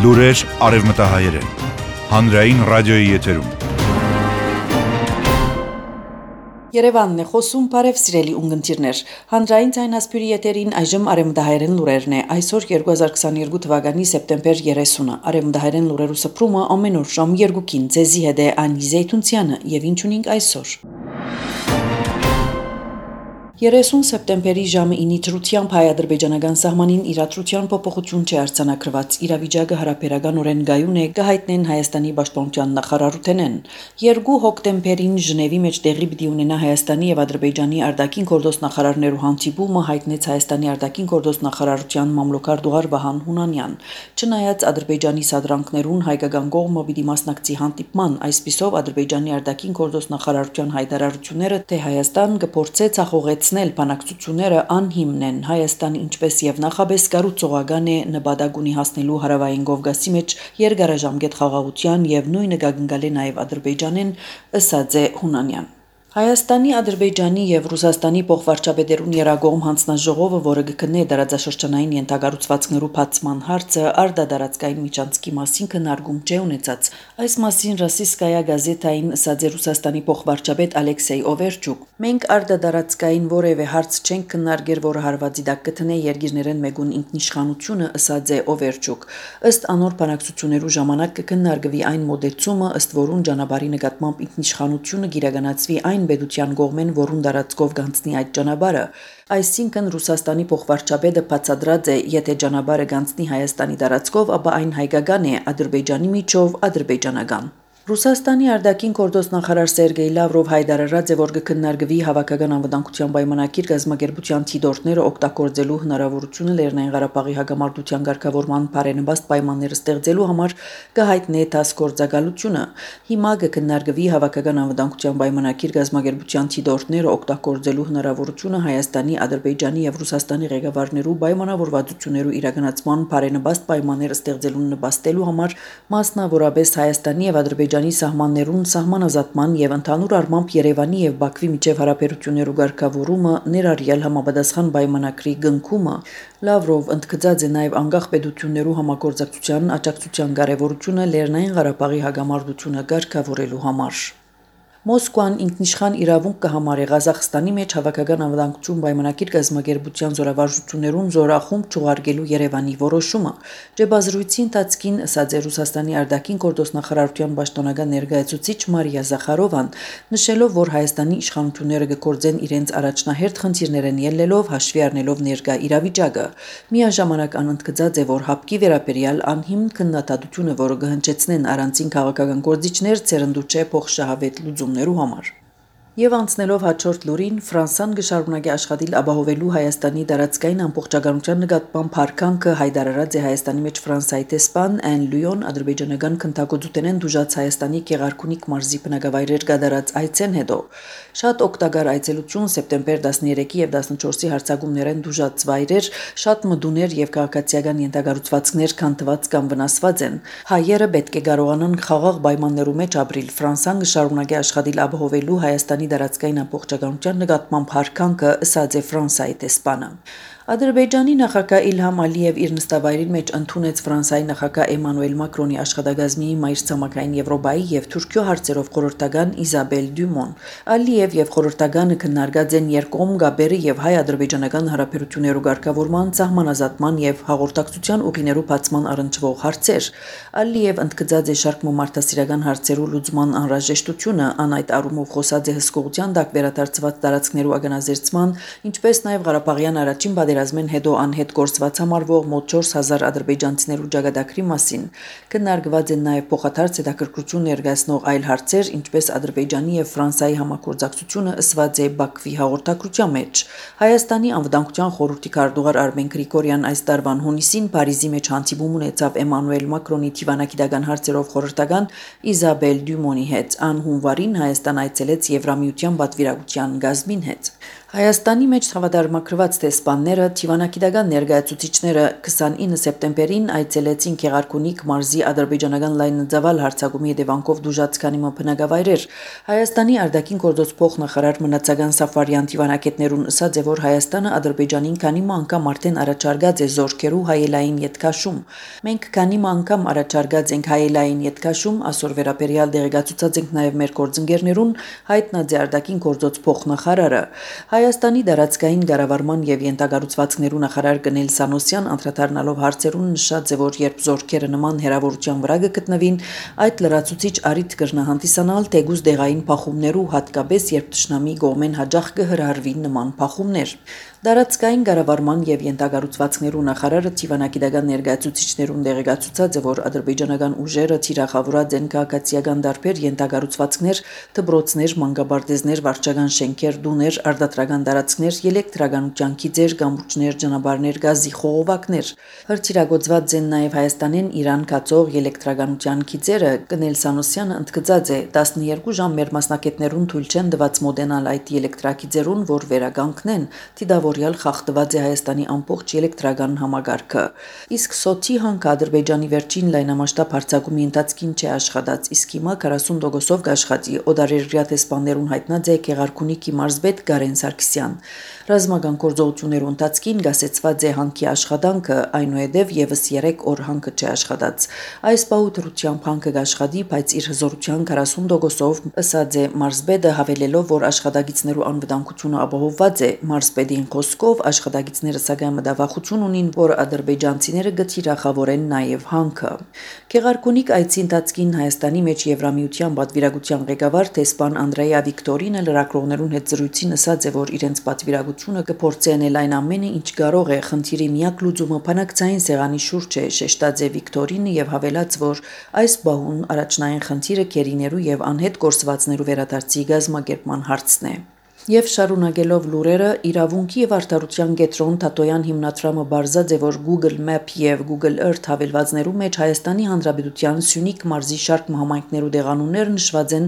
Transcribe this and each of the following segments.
Լուրեր արևմտահայերեն, հանրային ռադիոյի եթերում։ Երևանն է խոսում, բարև սիրելի ունգընտիրներ, հանրային ձայնասպյուրի եթերին այժմ արևմտահայերեն լուրերն է, այսօր 2022 թվականի սեպտեմբեր 30-ը, արևմտահայերեն լուրերու սփռումը ամեն օր ժամ 2-ին, ձեզի հետ է Անի Զեյթունցյանը և ինչ ունենք այսօր։ 30 սեպտեմբերի ժամը 9-ի դրությամբ հայ-ադրբեջանական սահմանին իրադրության փոփոխություն չի արձանագրված, իրավիճակը հարաբերականորեն գայուն է, կհայտնեն Հայաստանի պաշտպանության նախարարութենեն։ 2 հոկտեմբերին Ժնևի մեջ տեղի պիտի ունենա Հայաստանի եւ Ադրբեջանի արտաքին գործոստ նախարարներու հանդիպումը, հայտնեց Հայաստանի արտաքին գործոստ նախարարության մամլոքար Դուղար Վահան Հունանյան։ Չնայած Ադրբեջանի սադրանքներուն հայկական կողմը պիտի մասնակցի հանդիպման, այսպիսով Ադրբեջանի արտաքին գործոստ նախարարության հայտարարությունները, թե Հայաստան կփորձե ցախողեցնել բանակցությունները անհիմն են, Հայաստանը ինչպես եւ նախաբես կառուցողական է նպատակ ունի հասնելու հարավային Կովկասի մեջ երկարաժամկետ խաղաղության եւ նույնը կգնկալի նաեւ Ադրբեջանեն, ըսած է Հունանյան։ Հայաստանի, Ադրբեջանի եւ Ռուսաստանի փոխվարչապետերուն երագողմ հանձնաժողովը, որը կքննի դարաձաշրջանային ենթակառուցվածքներու բացման հարցը, արտադարձային միջանցքի մասին քննարկում չի ունեցած։ Այս մասին Ռոսիյսկայա գազետային ըսած է Ռուսաստանի փոխվարչապետ Ալեքսեյ Օվերչուկ։ Մենք արտադարձային որևէ հարց չենք քննարկել, որը հարվածի տակ կտնե երկիրներեն մեկուն ինքնիշխանությունը, ըսած է Օվերչուկ։ Ըստ անոր բանակցություններու ժամանակ կքննարկվի այն մոդեցումը, ըստ որուն ճանապարհի նկատմամբ ինքնիշխանությունը գիրականացվի այն պետության կողմեն, որուն դարածքով գանցնի այդ ճանապարհը, այսինքն Ռուսաստանի փոխվարչապետը բացատրած է, եթե ճանապարհը գանցնի Հայաստանի դարածքով, ապա այն հայկական է, Ադրբեջանի միջով ադրբեջանական։ Ռուսաստանի արտաքին գործոստ նախարար Սերգեյ Լավրով հայտարարած է, որ կքննարկվի հավաքական անվտանգության պայմանագիր կազմակերպության թիդորները օգտագործելու հնարավորությունը Լեռնային Ղարաբաղի հակամարտության ղեկավարման բարենպաստ պայմաններ ստեղծելու համար կհայտնի դասգործակալությունը։ Հիմա կքննարկվի հավաքական անվտանգության պայմանագիր կազմակերպության թիդորները օգտագործելու հնարավորությունը Հայաստանի, Ադրբեջանի եւ Ռուսաստանի ղեկավարներու պայմանավորվածություններու իրականացման բարենպաստ պայմաններ ստեղծելուն նպաստելու համար, մասնավորապես Հայաստանի եւ Ադրբեջանի սահմաններուն սահմանազատման եւ ընդհանուր առմամբ Երևանի եւ Բաքվի միջև հարաբերություններու ղեկավարումը ներառյալ համապատասխան պայմանագրի կնքումը։ Լավրով ընդգծած է նաեւ անկախ պետություններու համագործակցության աջակցության կարեւորությունը Լեռնային Ղարաբաղի հակամարտությունը ղեկավարելու համար։ Մոսկվան ինքնիշխան իրավունք կհամարի Ղազախստանի մեջ հավաքական անվտանգություն պայմանագիր կազմակերպության զորավարժություններուն զորախումբ չուղարկելու Երևանի որոշումը։ Ջեբազրույցի ընթացքին ըսած է Ռուսաստանի արտաքին գործոստ նախարարության պաշտոնական ներկայացուցիչ Մարիա Զախարովան, նշելով, որ Հայաստանի իշխանությունները կգործեն իրենց առաջնահերթ խնդիրներեն ելնելով, հաշվի առնելով ներկա իրավիճակը։ Միաժամանակ անընդգծած է, որ հապկի վերաբերյալ անհիմն քննադատությունը, որը կհնչեցնեն առանցին քաղաքական գործիչներ, ցերնդու չէ փոխշահավետ լուծումներու համար։ Եվ անցնելով հաջորդ լուրին, Ֆրանսան կշարունակի աշխատել ապահովելու Հայաստանի տարածքային ամբողջականության նկատմամբ հարգանքը, հայտարարած է Հայաստանի մեջ Ֆրանսիայի տեսփան Ան Լյուոն ադրբեջանական քննադատությունեն դժուժած Հայաստանի Գեղարքունիք մարզի բնակավայրեր կատարած այցեն հետո։ Շատ օգտակար այցելություն սեպտեմբեր 13-ի եւ 14-ի հարձակումներեն դժուժած վայրեր, շատ մդուներ եւ քաղաքացիական ենթակառուցվածքներ քանդված կամ վնասված են։ Հայերը պետք է կարողանան խաղաղ պայմաններու մեջ ապրել։ Ֆրանսան կշարունակի աշխատել ապահովելու Հայաստանի դարածքային ամբողջականության նկատմամբ հարգանքը, ըսած է Ֆրանսիայի տեսփանը։ Ադրբեջանի նախագահ Իլհամ Ալիև իր նստավայրին մեջ ընդունեց Ֆրանսիայի նախագահ Էմանուել Մակրոնի աշխատակազմի մայրցամաքային Եվրոպայի եւ Թուրքիո հարցերով խորհրդական Իզաբել Դյումոն։ Ալիև եւ խորհրդականը քննարկած են երկկողմ գաբերը եւ հայ-ադրբեջանական հարաբերություններու ղեկավարման, սահմանազատման եւ հաղորդակցության ուղիներու բացման առնչվող հարցեր։ Ալիև ընդգծած է շարք մարդասիրական հարցերու լուծման անհրաժեշտությունը, ան այդ առումով խոսած է հսկողության տակ վերադարձված տարածքներու ագանազերծման, ինչպես նաեւ Ղարաբաղյան առաջին պատերազմեն հետո անհետ գործված համարվող մոտ 4000 ադրբեջանցիներու ճակատագրի մասին։ Քննարկված են նաեւ փոխադարձ հետաքրքրություն ներկայացնող այլ հարցեր, ինչպես Ադրբեջանի եւ Ֆրանսիայի համագործակցությունը ըսված է Բաքվի հաղորդակցության մեջ։ Հայաստանի անվտանգության խորհրդի քարտուղար Արմեն Գրիգորյան այս տարվան հունիսին Փարիզի մեջ հանդիպում ունեցավ Էմանուել Մակրոնի դիվանագիտական հարցերով խորհրդական Իզաբել Դյումոնի հետ։ Ան հունվարին Հայաստան այցելեց Եվրամիության պատվիրակության գազմին հետ։ Հայաստանի մեջ հավատարմագրված տեսփանները, թիվանակիդական ներկայացուցիչները 29 սեպտեմբերին այցելեցին Գեղարքունիք մարզի ադրբեջանական լայնածավալ հարձակումի հետևանքով դժուժած քանի բնակավայրեր։ Հայաստանի արտաքին գործոց փոխնախարար Մնացական Սաֆարյան թիվանակետներուն ասաց, որ Հայաստանը Ադրբեջանին քանի անգամ արդեն առաջարկած է զորքերու հայելային ետքաշում։ Մենք քանի անգամ առաջարկած ենք հայելային ետքաշում, այսօր վերաբերյալ դեղեկացուցած ենք նաև մեր գործընկերներուն, հայտնած է արտաքին գործոց փոխնախարարը։ Հայաստանի դարածքային կառավարման եւ յենթագառուցվածքներու նախարար Գնել Սանոսյան անդրադառնալով հարցերուն նշած է, որ երբ զորքերը նման հերավորության վրա կգտնվին, այդ լրացուցիչ առիթ կրնահանդիսանալ թեգուզ դեղային փախումներու, հատկապես երբ ճշնամի կողմեն հաջող կհրահրվի նման փախումներ։ Դարածքային կառավարման եւ յենթագառուցվածքներու նախարարը թիվանակիդական ներկայացուցիչներուն դեղեկացուցած է, որ ադրբեջանական ուժերը թիրախավորած են քաղաքացիական դարբեր յենթագառուցվածքներ, դպրոցներ, մանկաբարձներ, վարչական շենքեր, դուներ, արտադրական տարածքներ, էլեկտրականության քիծեր, կամուրջներ, ճանապարհներ, գազի խողովակներ։ Հրթիռագործված են նաև Հայաստանեն Իրան կացող էլեկտրականության քիծերը։ Գնել Սանոսյանը ընդգծած է 12 ժամ մեր մասնակիցներուն թույլ չեն տված մոդենալ այդ էլեկտրակիծերուն, որ վերականգնեն, դիդավորյալ խախտված է Հայաստանի ամբողջ էլեկտրական համագարքը։ Իսկ Սոթի հանք Ադրբեջանի վերջին լայնամասշտաբ հարձակումի ընթացքին չէ աշխատած, իսկ հիմա 40%-ով կաշխատի։ Օդարերյա տեսփաններուն հայտնած է Գեղարքունիքի մարզպետ Գարեն Սարգսյան։ Ռազմական գործողություններու ընթացքին գասեցված է հանքի աշխատանքը, այնուհետև եւս 3 օր հանքը չի աշխատած։ Այս պահուտրությամբ հանքը կաշխատի, բայց իր հզորության 40%-ով, ըսած է մարզպետը, հավելելով, որ աշխատագիցներու անվտանգությունը ապահովված է։ Մարզպետին խոսքով աշխատագիցները սակայն մտավախություն ունին, որ ադրբեջանցիները գթիրախավորեն նաև հանքը։ Գեղարքունիք այցի ընթացքին Հայաստանի մեջ Եվրամիության պատվիրակության ղեկավար տեսփան Անդրեյա Վիկտորինը լրագրողներուն հետ զրույցին ասաց է, որ իրենց պատվիրակությունը կփորձեն այն ամենը, ինչ կարող է, խնդիրի միակ լուծումը բանակցային սեղանի շուրջ է, շեշտած է Վիկտորինը եւ հավելած, որ այս բահուն առաջնային խնդիրը քերիներու եւ անհետ գործվածներու վերադարձի գազམ-ակերպման հարցն է։ Եվ շարունակելով լուրերը, իրավունքի եւ արդարության կենտրոն Թատոյան հիմնադրամը բարձած է, որ Google Map եւ Google Earth հավելվածներու մեջ Հայաստանի Հանրապետության Սյունիք մարզի շարք համայնքներու դեղանուններ նշված են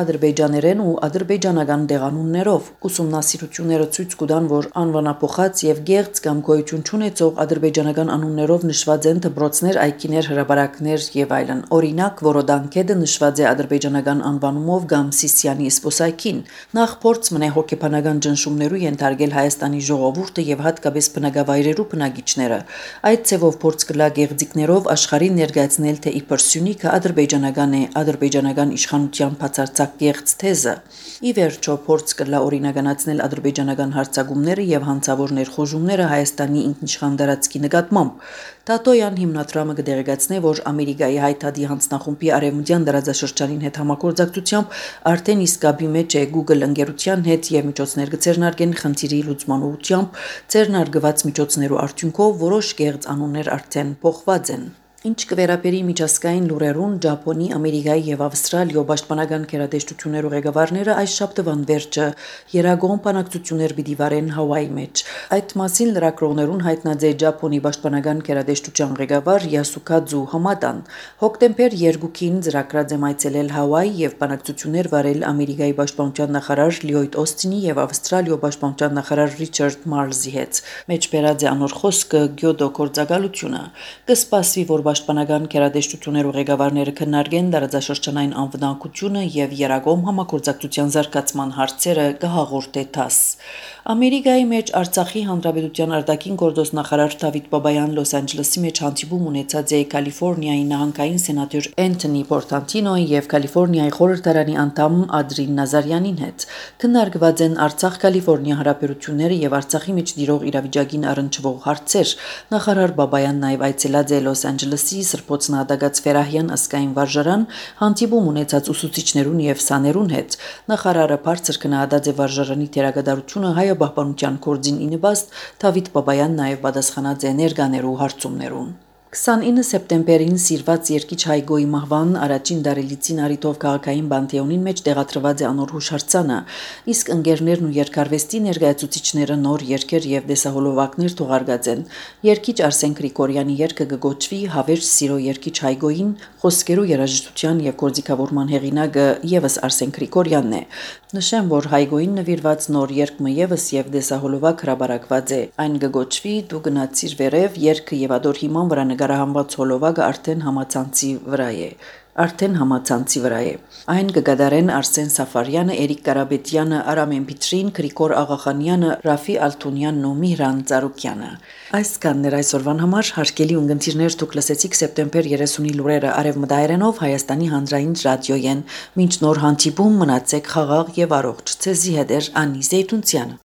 ադրբեջաներեն ու ադրբեջանական դեղանուններով։ Ուսումնասիրությունները ցույց կտան, որ անվանափոխած եւ գեղձ կամ գոյություն չունեցող ադրբեջանական անուններով նշված են դպրոցներ, այգիներ, հրապարակներ եւ այլն։ Օրինակ, Որոդանկեդը նշված է ադրբեջանական անվանումով կամ Սիսիանի սպոսայքին։ Նախ փորձ մնե հոգեբանական ճնշումներու ենթարկել Հայաստանի ժողովուրդը եւ հատկապես բնակավայրերու բնակիչները։ Այդ ցևով փորձ կլա գեղձիկներով աշխարհին ներկայացնել, թե իբր Սյունիքը ադրբեջանական է, ադրբեջանական իշխանության բացարձակ գեղձ թեզը։ Ի վերջո փորձ կլա օրինականացնել ադրբեջանական հարձակումները եւ հանցավոր ներխոժումները Հայաստանի ինքնիշխան տարածքի նկատմամբ։ Թատոյան հիմնադրամը կդեղեկացնի, որ Ամերիկայի հայտարարի հանձնախումբի արևմտյան տարածաշրջանին հետ համագործակցությամբ արդեն իսկ կապի մեջ է Google ընկերության հետ եւ միջոցներ կձեռնարկեն խնդիրի լուծման ուղղությամբ, ձեռնարկված միջոցներու արդյունքով որոշ գեղձ անուններ արդեն փոխված են։ Ինչ կվերապերի միջազգային լուրերուն, Ճապոնի, Ամերիկայի եւ Ավստրալիո պաշտպանական գերատեսչություններու ղեկավարները այս շաբթվան վերջը երագոհ բանակցություններ պիտի վարեն Հավայի մեջ։ Այդ մասին լրագրողներուն հայտնած է Ճապոնի պաշտպանական գերատեսչության ղեկավար Յասուկաձու Համադան։ Հոկտեմբեր 2-ին ծրագրած է այցելել Հավայի եւ բանակցություններ վարել Ամերիկայի պաշտպանության նախարար Լյոյդ Օստինի եւ Ավստրալիո պաշտպանության նախարար Ռիչարդ Մարլզի հետ։ Մեջբերած է անոր խոսքը Գյոդո գործակալությունը։ Կսպասվի, որ պաշտպանական գերատեսչություններու ղեկավարները քննարկեն տարածաշրջանային անվտանգությունը եւ երագոմ համագործակցության զարգացման հարցերը կհաղորդե ԹԱՍ։ Ամերիկայի մեջ Արցախի Հանրապետության արտաքին գործոս նախարար Դավիթ Բաբայան Լոս Անջելեսի մեջ հանդիպում ունեցած է Կալիֆոռնիայի նահանգային սենատոր Էնթոնի Պորտանտինոյի եւ Կալիֆոռնիայի խորհրդարանի անդամ Ադրին Նազարյանին հետ։ Քննարկված են Արցախ-Կալիֆոռնիա հարաբերությունները եւ Արցախի մեջ տիրող իրավիճակին առնչվող հարցեր։ Նախարար Բաբայանն նաև այցելած է Լոս Անջելեսի Սրբոց Նահատակած Ֆերահյան ասկային վարժարան, հանդիպում ունեցած ուսուցիչներուն եւ սաներուն հետ։ Նախարարը բարձր գնահատած է վարժարանի դերակատարությունը հայաբահբանության գործին ի նպաստ, Դավիթ Բաբայան նաև պատասխանած է ներկաներու հարցումներուն։ 29 սեպտեմբերին սիրված երկիչ Հայգոյի մահվան առաջին դարելիցին արիտով քաղաքային բանտեոնին մեջ տեղադրված է անոր հուշարձանը, իսկ ընկերներն ու երկարվեստի ներկայացուցիչները նոր երգեր եւ դեսահոլովակներ թողարկած են։ Երկիչ Արսեն Գրիգորյանի երգը կգոչվի Հավերժ սիրո երկիչ Հայգոյին, խոսքերու երաժշտության եւ գործիքավորման հեղինակը եւս Արսեն Գրիգորյանն է։ Նշեմ, որ Հայգոյին նվիրված նոր երգը եւս եւ դեսահոլովակ հրաբարակված է։ Այն կգոչվի «Դու գնացիր վերև» երգը եւ ադոր հիման վրա նկարահանված հոլովակը արդեն համացանցի վրա է։ Այն կգադարեն Արսեն Սաֆարյանը, Էրիկ Կարապետյանը, Արամեն Փիտրին, Գրիգոր Աղախանյանը, Ռաֆի Ալթունյանն ու Միհրան Ծառուկյանը։ Այսքանն էր այսօրվան համար, հարգելի ունգընտիրներ, դուք լսեցիք սեպտեմբեր 30-ի լուրերը արևմտահայերենով Հայաստանի հանրային ռադիոյեն։ Մինչ նոր հանդիպում մնացեք խաղաղ եւ առողջ։ Ցեզի հետ էր Անի Զեյթունցյանը։